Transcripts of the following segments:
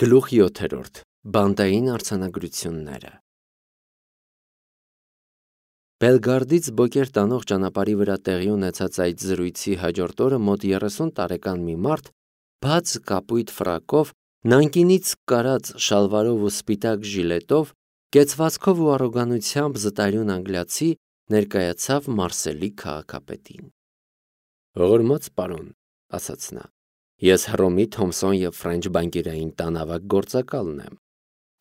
Գլուխ 7. Բանտային արձանագրությունները Բելգարդից Բոկեր տանող ճանապարհի վրա տեղի ունեցած այդ զրույցի հաջորդ օրը մոտ 30 տարեկան մի մարդ բաց կապույտ ֆրակով, նանկինից կարած շալվարով ու սպիտակ ժիլետով, կեցվածքով ու առոգանությամբ զտարյուն անգլիացի ներկայացավ Մարսելի քաղաքապետին։ «Ողորմած պարոն», ասաց նա, «ես Հռոմի Թոմսոն և Ֆրենչ բանկերային տանավակ գործակալն եմ։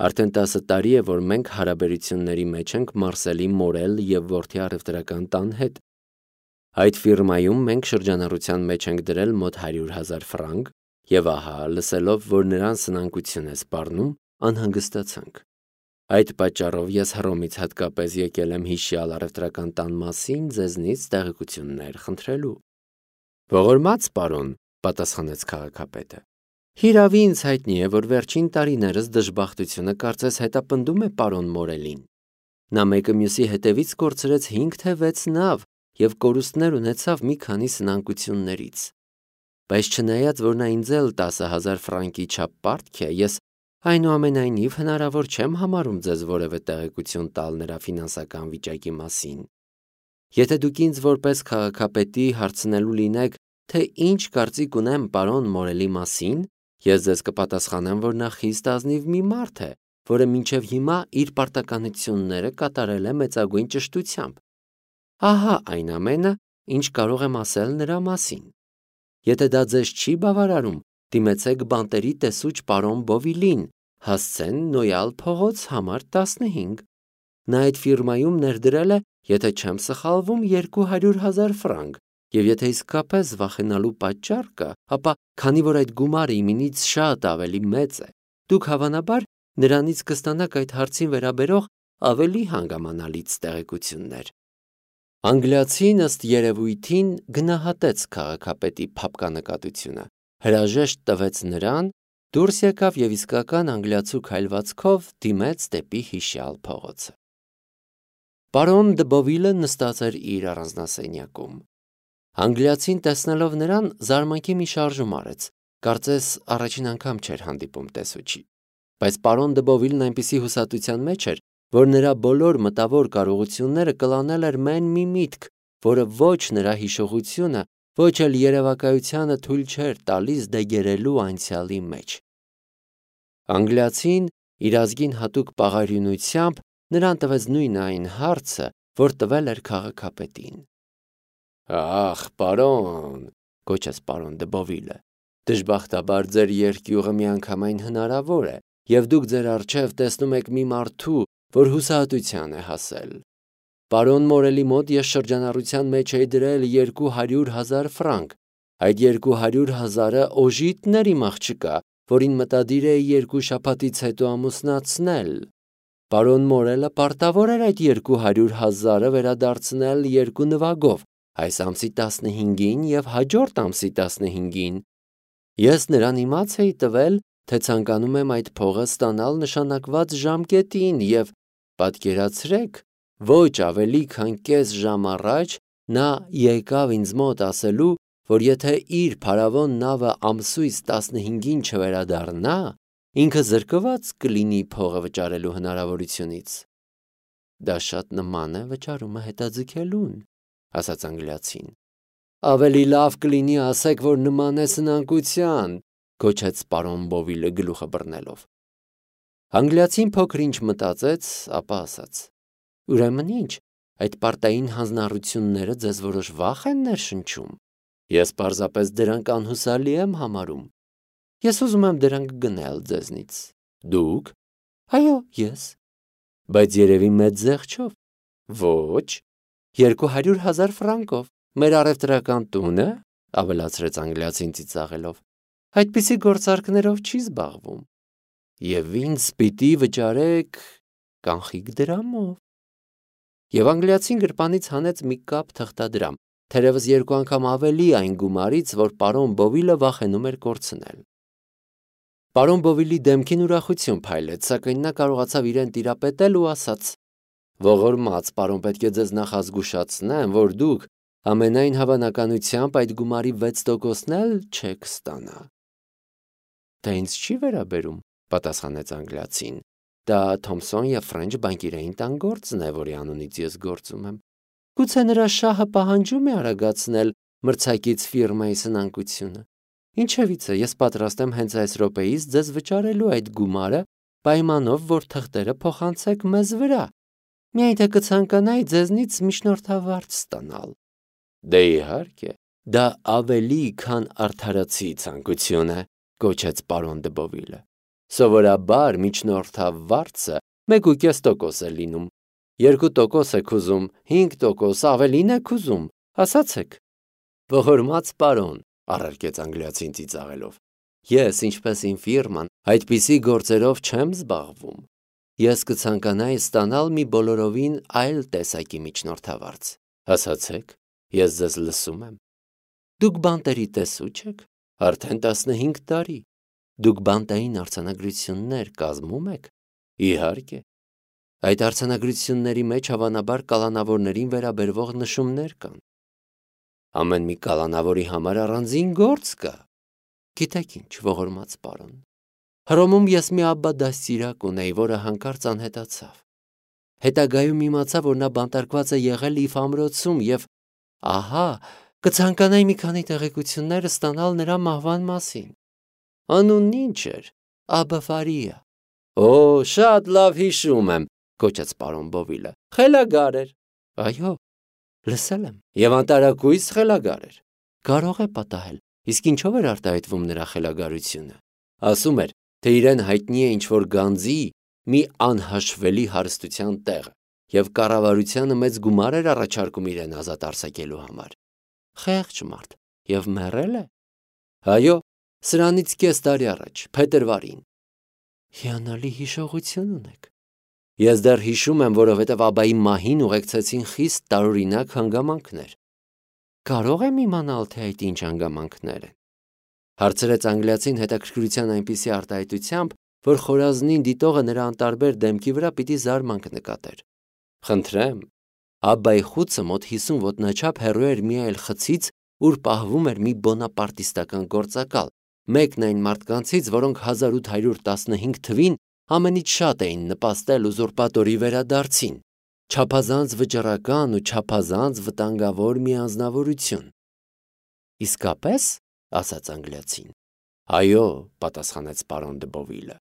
Արդեն 10 տարի է, որ մենք հարաբերությունների մեջ ենք Մարսելի Մորել և որդի առևտրական տան հետ։ Այդ ֆիրմայում մենք շրջանառության մեջ ենք դրել մոտ 100,000 ֆրանկ և ահա, լսելով, որ նրան սնանկություն է սպառնում, անհանգստացանք։ Այդ պատճառով ես Հռոմից հատկապես եկել եմ հիշյալ առևտրական տան մասին ձեզնից տեղեկություններ խնդրելու»։ «Ողորմած պարոն», պատասխանեց քաղաքապետը, «հիրավի ինձ հայտնի է, որ վերջին տարիներս դժբախտությունը կարծես հետապնդում է պարոն Մորելին։ Նա մեկը մյուսի հետևից կորցրեց 5 թե 6 նավ և կորուստներ ունեցավ մի քանի սնանկություններից։ Բայց չնայած, որ նա ինձ էլ 10,000 ֆրանկի չափ պարտք է, ես այնուամենայնիվ հնարավոր չեմ համարում ձեզ որևէ տեղեկություն տալ նրա ֆինանսական վիճակի մասին։ Եթե դուք ինձ որպես քաղաքապետի հարցնելու լինեք, թե ինչ կարծիք ունեմ պարոն Մորելի մասին, ես ձեզ կպատասխանեմ, որ նա խիստ ազնիվ մի մարդ է, որը մինչև հիմա իր պարտականությունները կատարել է մեծագույն ճշտությամբ։ Ահա այն ամենը, ինչ կարող եմ ասել նրա մասին։ Եթե դա ձեզ չի բավարարում, դիմեցեք բանտերի տեսուչ պարոն Բովիլին, հասցեն Նոյալ փողոց համար 15։ Նա այդ ֆիրմայում ներդրել է, եթե չեմ սխալվում, 200,000 ֆրանկ, և եթե իսկապես վախենալու պատճառ կա, ապա քանի որ այդ գումարը իմինից շատ ավելի մեծ է, դուք հավանաբար նրանից կստանաք այդ հարցին վերաբերող ավելի հանգամանալից տեղեկություններ։ Անգլիացին ըստ երևույթին գնահատեց քաղաքապետի փափկանկատությունը, հրաժեշտ տվեց նրան, դուրս եկավ և իսկական անգլիացու քայլվածքով դիմեց դեպի հիշյալ փողոցը։ Պարոն դը Բովիլը նստած էր իր առանձնասենյակում։ Անգլիացին տեսնելով նրան զարմանքի մի շարժում արեց, կարծես առաջին անգամ չէր հանդիպում տեսուչի։ Բայց պարոն դը Բովիլն այնպիսի հուսատության մեջ էր, որ նրա բոլոր մտավոր կարողությունները կլանել էր մեն մի միտք, որը ոչ նրա հիշողությունը, ոչ էլ երևակայությանը թույլ չէր տալիս դեգերելու անցյալի մեջ։ Անգլիացին իր ազգին հատուկ պաղարյունությամբ նրան տվեց նույն այն հարցը, որ տվել էր քաղաքապետին։ «Ախ, պարոն», գոչեց պարոն դը Բովիլը, «դժբախտաբար ձեր երկյուղը միանգամայն հնարավոր է, և դուք ձեր առջև տեսնում եք մի մարդու, որ հուսահատության է հասել։ Պարոն Մորելի մոտ ես շրջանառության մեջ էի դրել 200,000 ֆրանկ, այդ 200,000-ը օժիտն էր իմ աղջկա, որին մտադիր էի 2 շաբաթից հետո ամուսնացնել։ Պարոն Մորելը պարտավոր էր այդ 200,000-ը վերադարձնել 2 նվագով, այս ամսի 15-ին և հաջորդ ամսի 15-ին։ Ես նրան իմաց էի տվել, թե ցանկանում եմ այդ փողը ստանալ նշանակված ժամկետին և, պատկերացրեք, ոչ ավելի քան կես ժամ առաջ նա եկավ ինձ մոտ ասելու, որ եթե իր փարավոն նավը ամսույս 15-ին չվերադառնա, ինքը զրկված կլինի փողը վճարելու հնարավորությունից։ Դա շատ նման է վճարումը հետաձգելուն, ասաց անգլիացին։ Ավելի լավ կլինի ասեք, որ նման է սնանկության, գոչեց պարոն Բովիլը գլուխը բռնելով։ Անգլիացին փոքր-ինչ մտածեց, ապա ասաց. Ուրեմն ինչ, այդ պարտային հանձնառությունները ձեզ որոշ վախ են ներշնչում։ Ես պարզապես դրանք անհուսալի եմ համարում։ Ես ուզում եմ դրանք գնել ձեզնից։ Դուք։ Այո, ես։ Բայց երևի մեծ զեղչով։ Ոչ, 200,000 ֆրանկով։ Մեր առևտրական տունը, ավելացրեց անգլիացին ծիծաղելով, այդպիսի գործարքներով չի զբաղվում։ Եվ ինձ պիտի վճարեք կանխիկ դրամով։ Եվ անգլիացին գրպանից հանեց մի կապ թղթադրամ, թերևս 2 անգամ ավելի այն գումարից, որ պարոն Բովիլը վախենում էր կորցնել։ Պարոն Բովիլի դեմքին ուրախություն փայլեց, սակայն նա կարողացավ իրեն տիրապետել ու ասաց. Ողորմած պարոն, պետք է ձեզ նախազգուշացնեմ, որ դուք ամենայն հավանականությամբ այդ գումարի 6%-ն էլ չեք ստանա։ Դա ինձ չի վերաբերում, պատասխանեց անգլիացին։ Դա Թոմսոն եւ Ֆրենչ բանկիրային տան գործն է, որի անունից ես գործում եմ։ Գուցե նրա շահը պահանջում է արագացնել մրցակից ֆիրմայի սնանկությունը։ Ինչևիցե, ես պատրաստ եմ հենց այս րոպեից ձեզ վճարելու այդ գումարը, պայմանով, որ թղթերը փոխանցեք մեզ վրա։ Միայն թե կցանկանայի ձեզնից միջնորդավարձ ստանալ։ Դե իհարկե, դա ավելի քան արդարացի ցանկություն է, գոչեց պարոն դը Բովիլը։ Սովորաբար միջնորդավարձը 1.5% է լինում։ 2% եք ուզում, 5% ավելին եք ուզում, ասացեք։ Ողորմած պարոն, առարկեց անգլիացին ծիծաղելով, ես, ինչպես իմ ֆիրման, այդպիսի գործերով չեմ զբաղվում։ Ես կցանկանայի ստանալ մի բոլորովին այլ տեսակի միջնորդավարձ։ Ասացեք, ես ձեզ լսում եմ։ Դուք բանտերի տեսու չեք, արդեն 15 տարի։ Դուք բանտային արձանագրություններ կազմում եք։ Իհարկե։ Այդ արձանագրությունների մեջ հավանաբար կալանավորներին վերաբերվող նշումներ կան։ Ամեն մի կալանավորի համար առանձին գործ կա։ Գիտեք ինչ, ողորմած պարոն, Հռոմում ես մի աբբա դաստիարակ ունեի, որը հանկարծ անհետացավ։ Հետագայում իմացա, որ նա բանտարկված է եղել Իֆ ամրոցում և ահա, կցանկանայի մի քանի տեղեկություններ ստանալ նրա մահվան մասին։ Անունն ինչ էր։ Աբա Ֆարիա։ Օ, շատ լավ հիշում եմ, գոչեց պարոն Բովիլը։ Խելագար էր։ Այո, լսել եմ, եւ անտարակույս խելագար էր։ Կարող է պատահել, իսկ ինչով էր արտահայտվում նրա խելագարությունը։ Ասում էր, թե իրեն հայտնի է ինչ-որ գանձի մի անհաշվելի հարստության տեղը, եւ կառավարությանը մեծ գումար էր առաջարկում իրեն ազատ արձակելու համար։ Խեղճ մարդ, եւ մեռել է։ Այո, սրանից կես տարի առաջ, փետրվարին։ Հիանալի հիշողություն ունեք։ Ես դեռ հիշում եմ, որովհետև աբայի մահին ուղեկցեցին խիստ տարօրինակ հանգամանքներ։ Կարող եմ իմանալ, թե այդ ինչ հանգամանքներ են։ Հարցրեց անգլիացին հետաքրքրության այնպիսի արտահայտությամբ, որ խորազնին դիտողը նրա անտարբեր դեմքի վրա պիտի զարմանք նկատեր։ Խնդրեմ, աբայի խուցը մոտ 50 ոտնաչափ հեռու էր մի այլ խցից, ուր պահվում էր մի բոնապարտիստական գործակալ, մեկն այն մարդկանցից, որոնք 1815 թվին ամենից շատ էին նպաստել ուզուրպատորի վերադարձին, չափազանց վճռական ու չափազանց վտանգավոր մի անձնավորություն։ Իսկապես, ասաց անգլիացին։ Այո, պատասխանեց պարոն դը Բովիլը։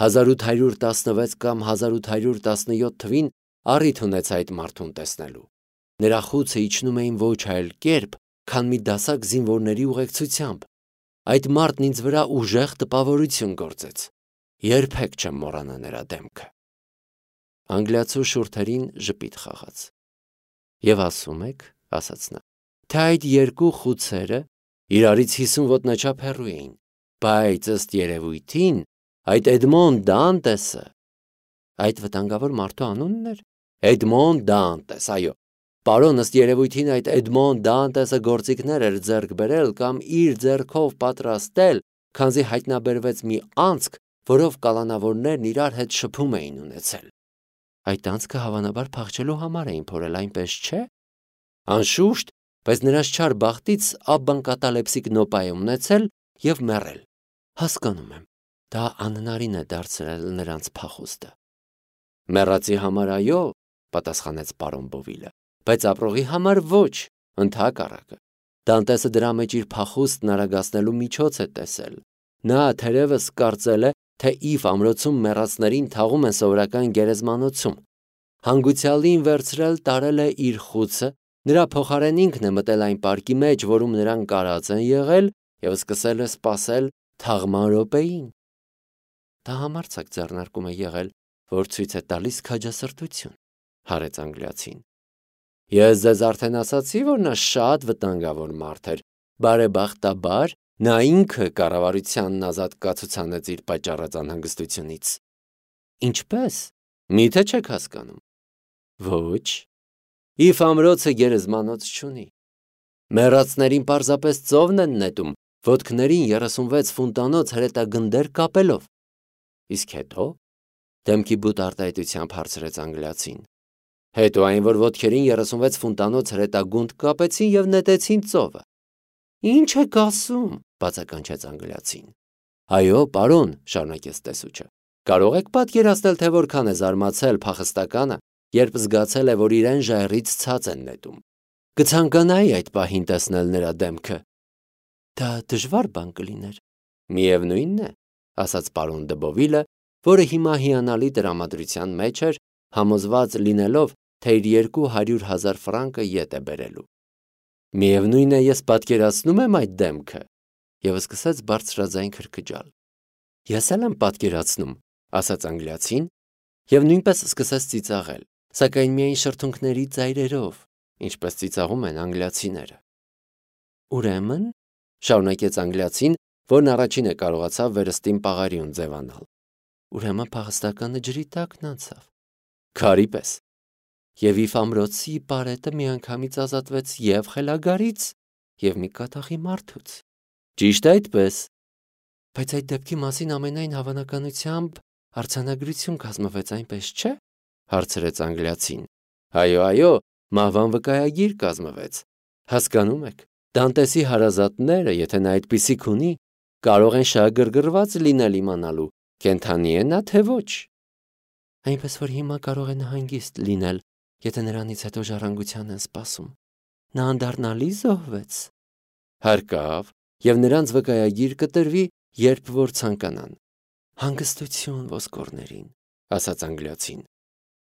1816 կամ 1817 թվին առիթ ունեցա այդ մարդուն տեսնելու։ Նրա խուցը իջնում էին ոչ այլ կերպ, քան մի դասակ զինվորների ուղեկցությամբ։ Այդ մարդն ինձ վրա ուժեղ տպավորություն գործեց։ Երբեք չեմ մոռանա նրա դեմքը։ Անգլիացու շուրթերին ժպիտ խաղաց։ Եվ ասում եք, ասաց նա, թե այդ երկու խուցերը իրարից 50 ոտնաչափ հեռու էին, բայց ըստ երևույթին այդ Էդմոն Դանտեսը, այդ վտանգավոր մարդու անունն էր։ Էդմոն Դանտես, այո։ Պարոն, ըստ երևույթին այդ Էդմոն Դանտեսը գործիքներ էր ձեռք բերել կամ իր ձեռքով պատրաստել, քանզի հայտնաբերվեց մի անցք, որով կալանավորներն իրար հետ շփում էին ունեցել։ Այդ անցքը հավանաբար փախչելու համար էին փորել, այնպես չէ։ Անշուշտ, բայց նրանց չար բախտից աբբան կատալեպսիկ նոպա է ունեցել եւ մեռել։ Հասկանում եմ, դա անհնարին է դարձրել նրանց փախուստը։ Մեռածի համար այո, պատասխանեց պարոն Բովիլը, բայց ապրողի համար ոչ, ընդհակառակը։ Դանտեսը դրա մեջ իր փախուստն արագացնելու միջոց է տեսել։ Նա թերևս կարծել է, թե Իֆ ամրոցում մեռածներին թաղում են սովորական գերեզմանոցում։ Հանգուցյալին վերցրել տարել է իր խուցը, նրա փոխարեն ինքն է մտել այն պարկի մեջ, որում նրանք կարած են եղել, եւ սկսել է սպասել թաղման րոպեին։ Դա համարձակ ձեռնարկում է եղել, որ ցույց է տալիս քաջասրտություն, հարեց անգլիացին։ Ես ձեզ արդեն ասացի, որ նա շատ վտանգավոր մարդ էր, բարեբախտաբար նա ինքը կառավարությանն ազատ կացուցանեց իր պատճառած անհանգստությունից։ Ինչպես։ Միթե չեք հասկանում։ Ոչ։ Իֆ ամրոցը գերեզմանոց չունի։ Մեռածներին պարզապես ծովն են նետում, ոտքներին 36 ֆունտանոց հրետագնդեր կապելով։ Իսկ հետո դեմքի բութ արտահայտությամբ հարցրեց անգլիացին։ Հետո այն, որ ոտքերին 36 ֆունտանոց հրետագունդ կապեցին եւ նետեցին ծովը։ Ինչ եք ասում, բացականչեց անգլիացին։ Այո, պարոն, շարունակեց տեսուչը, կարող եք պատկերացնել, թե որքան է զարմացել փախստականը, երբ զգացել է, որ իրեն ժայռից ցած են նետում։ Կցանկանայի այդ պահին տեսնել նրա դեմքը։ Դա դժվար բան կլիներ։ Միևնույնն է, ասաց պարոն Դբովիլը, որը հիմա հիանալի տրամադրության մեջ էր, համոզված լինելով, թե իր 200,000 ֆրանկը ետ է բերելու։ Միևնույն է, ես պատկերացնում եմ այդ դեմքը, եւ սկսեց բարձրաձայն քրքջալ։ Ես էլ եմ պատկերացնում, ասաց անգլիացին, եւ նույնպես սկսեց ծիծաղել, սակայն միայն շրթունքների ծայրերով, ինչպես ծիծաղում են անգլիացիները։ Ուրեմն, շարունակեց անգլիացին, որն առաջինը կարողացավ վերստին պաղարիուն ձևանալ։ Ուրեմն փախստականը ջրի տակն անցավ։ Քարի պես։ Եվ Իվ ամրոցի պարետը միանգամից ազատվեց եւ խելագարից, եւ մի կատաղի մարդուց։ Ճիշտ այդպես։ Բայց այդ դեպքի մասին ամենայն հավանականությամբ արձանագրություն կազմվեց, այնպես չէ՞, հարցրեց անգլիացին։ Այո, մահվան վկայագիր կազմվեց։ Հասկանում եք, Դանտեսի հարազատները, եթե նա այդպիսիք ունի, կարող են շահագրգռված լինել իմանալու, կենդանի է նա թե ոչ։ Այնպես որ հիմա կարող է նահանգիստ լինել, եթե նրանից հետո ժառանգության են սպասում։ Նա անդառնալի զոհվեց։ Հարկավ, եւ նրանց վկայագիր կտրվի, երբ որ ցանկանան։ Հանգստություն ոսկորներին, ասաց անգլիացին։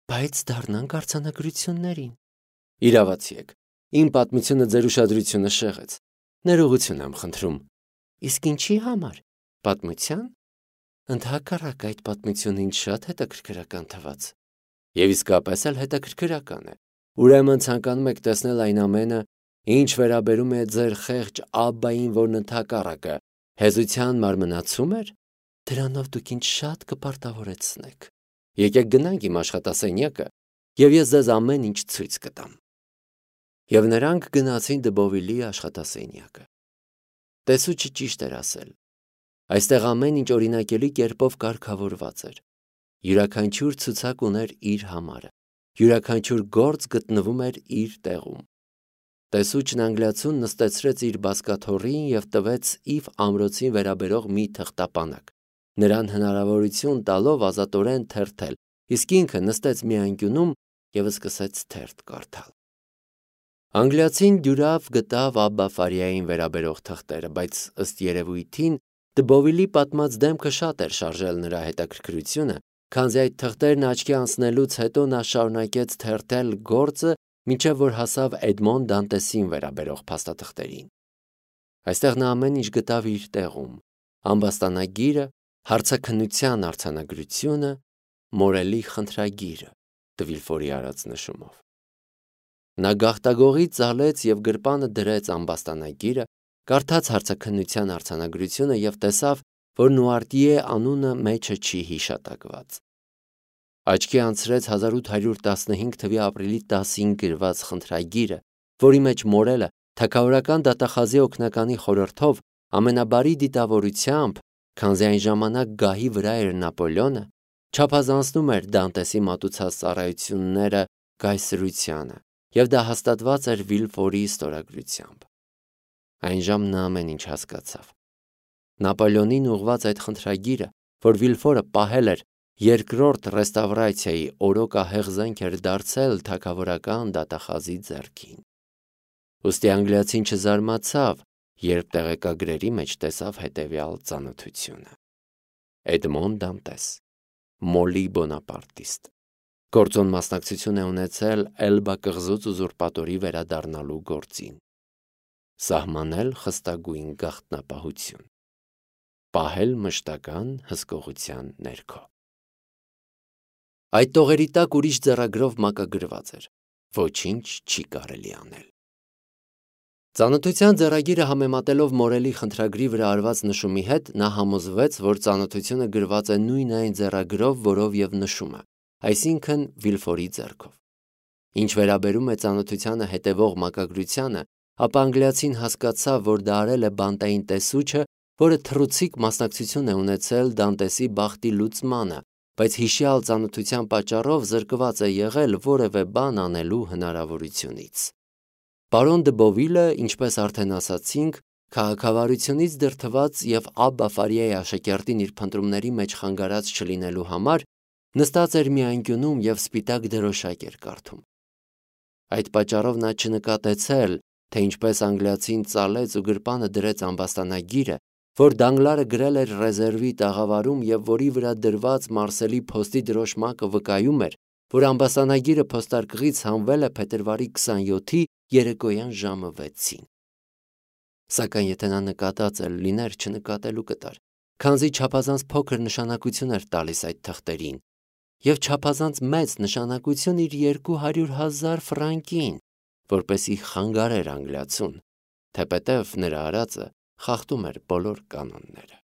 Բայց դառնանք արձանագրություններին։ Իրավացի եք, իմ պատմությունը ձեր ուշադրությունը շեղեց։ Ներողություն եմ խնդրում։ Իսկ ինչի համար։ Պատմության։ Ընդհակառակ այդ պատմությունը ինձ շատ հետաքրքրական թվաց։ Եվ իսկապես էլ հետաքրքրական է։ Ուրեմն ցանկանում եք տեսնել այն ամենը, ինչ վերաբերում է ձեր խեղճ աբբային, որն ընդհակառակը հեզության մարմնացում էր, դրանով դուք ինձ շատ կպարտավորեցնեք։ Եկեք գնանք իմ աշխատասենյակը, եւ ես ձեզ ամեն ինչ ցույց կտամ։ Եվ նրանք գնացին Դբովիլի աշխատասենյակը։ Տեսուչը ճիշտ էր ասել։ Այստեղ ամեն ինչ օրինակելի կերպով կարգավորված էր։ Յուրաքանչյուր ցուցակ ուներ իր համարը։ Յուրաքանչյուր գործ գտնվում էր իր տեղում։ Տեսուչն անգլիացուն նստեցրեց իր բազկաթոռին եւ տվեց Իվ ամրոցին վերաբերող մի թղթապանակ, նրան հնարավորություն տալով ազատորեն թերթել, իսկ ինքը նստեց մի անկյունում եւ սկսեց թերթ կարդալ։ Անգլիացին դյուրավ գտավ Աբբա Ֆարիային վերաբերող թղթերը, բայց ըստ երևույթին Դբովիլի պատմած դեմքը շատ էր շարժել նրա հետաքրքրությունը, քանզի այդ թղթերն աչքի անցնելուց հետո նա շարունակեց թերթել գործը, մինչև որ հասավ Էդմոն Դանտեսին վերաբերող փաստաթղթերին։ Այստեղ նա ամեն ինչ գտավ իր տեղում. ամբաստանագիրը, հարցաքննության արձանագրությունը, Մորելի խնդրագիրը, Դվիլֆորի արած նշումով։ Նա գաղտագողից ծալեց եւ գրպանը դրեց ամբաստանագիրը, կարդաց հարցաքննության արձանագրությունը եւ տեսավ, որ Նուարտիե անունը մեջը չի հիշատակված։ Աչքի անցրեց 1815 թվականի ապրիլի 10-ին գրված խնդրագիրը, որի մեջ Մորելը թագավորական դատախազի օգնականի խորհրդով ամենաբարի դիտավորությամբ, քանզի այն ժամանակ գահի վրա էր Նապոլեոնը, չափազանցնում էր Դանտեսի մատուցած ծառայությունները կայսրությանը, եւ դա հաստատված էր Վիլֆորի ստորագրությամբ։ Այն ժամն նա ամեն ինչ հասկացավ։ Նապոլեոնին ուղված այդ խնդրագիրը, որ Վիլֆորը պահել էր երկրորդ ռեստավրացիայի օրոքահեղ զենք էր դարձել թագավորական դատախազի ձեռքին։ Ուստի անգլիացին չզարմացավ, երբ տեղեկագրերի մեջ տեսավ հետևյալ ծանոթությունը. Էդմոն Դանտես, Մոլի Բոնապարտիստ, գործոն մասնակցություն է ունեցել Էլբա կղզուց ուզուրպատորի վերադառնալու գործին, սահմանել խստագույն գաղտնապահություն, պահել մշտական հսկողության ներքո։ Այդ տողերի տակ ուրիշ ձեռագրով մակագրված էր. ոչինչ չի կարելի անել։ Ծանոթության ձեռագիրը համեմատելով Մորելի խնդրագրի վրա արված նշումի հետ, նա համոզվեց, որ ծանոթությունը գրված է նույն այն ձեռագրով, որով եւ նշումը, այսինքն Վիլֆորի ձեռքով։ Ինչ վերաբերում է ծանոթությանը հետևող մակագրությանը, ապա անգլիացին հասկացավ, որ դա արել է բանտային տեսուչը, որը թռուցիկ մասնակցություն է ունեցել Դանտեսի բախտի լուծմանը, բայց հիշյալ ծանոթության պատճառով զրկված է եղել որևէ բան անելու հնարավորությունից։ Պարոն Դբովիլը, ինչպես արդեն ասացինք, Քաղաքավարությունից դրդված և Աբբա Ֆարիայի աշակերտին իր փնտրումների մեջ խանգարած չլինելու համար նստած էր մի անկյունում և սպիտակ դրոշակ էր կարդում։ Այդ պատճառով նա չնկատեցել, թե ինչպես անգլիացին ծալեց ու գրպանը դրեց ամբաստանագիրը, որ Դանգլարը գրել էր ռեզերվի տաղավարում և որի վրա դրված Մարսելի փոստի դրոշմակը վկայում էր, որ ամբաստանագիրը փոստարկղից հանվել է փետրվարի 27-ի երեկոյան ժամը 6-ին։ Սակայն եթե նա նկատած էլ լիներ, չնկատելու կտար, քանզի չափազանց փոքր նշանակություն էր տալիս այդ թղթերին, և չափազանց մեծ նշանակություն իր 200,000 ֆրանկին, որպեսզի խանգարեր անգլիացուն, թեպետև նրա արածը խախտում էր բոլոր կանոնները։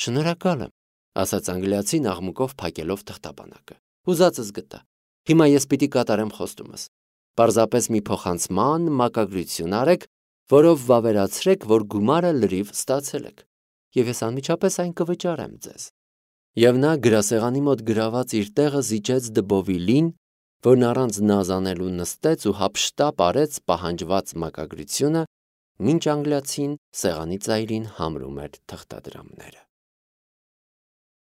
«Շնորհակալ եմ», ասաց անգլիացին աղմուկով փակելով թղթապանակը։ «Ուզածս գտա։ Հիմա ես պիտի կատարեմ խոստումս։ Պարզապես մի փոխանցման մակագրություն արեք, որով վավերացրեք, որ գումարը լրիվ ստացել եք, և ես անմիջապես այն կվճարեմ ձեզ»։ Եվ նա գրասեղանի մոտ գրաված իր տեղը զիջեց դբովիլին, որն առանց նազ անելու նստեց ու հափշտապ արեց պահանջված մակագրությունը, մինչ անգլիացին սեղանի ծայրին համրում էր թղթադրամները։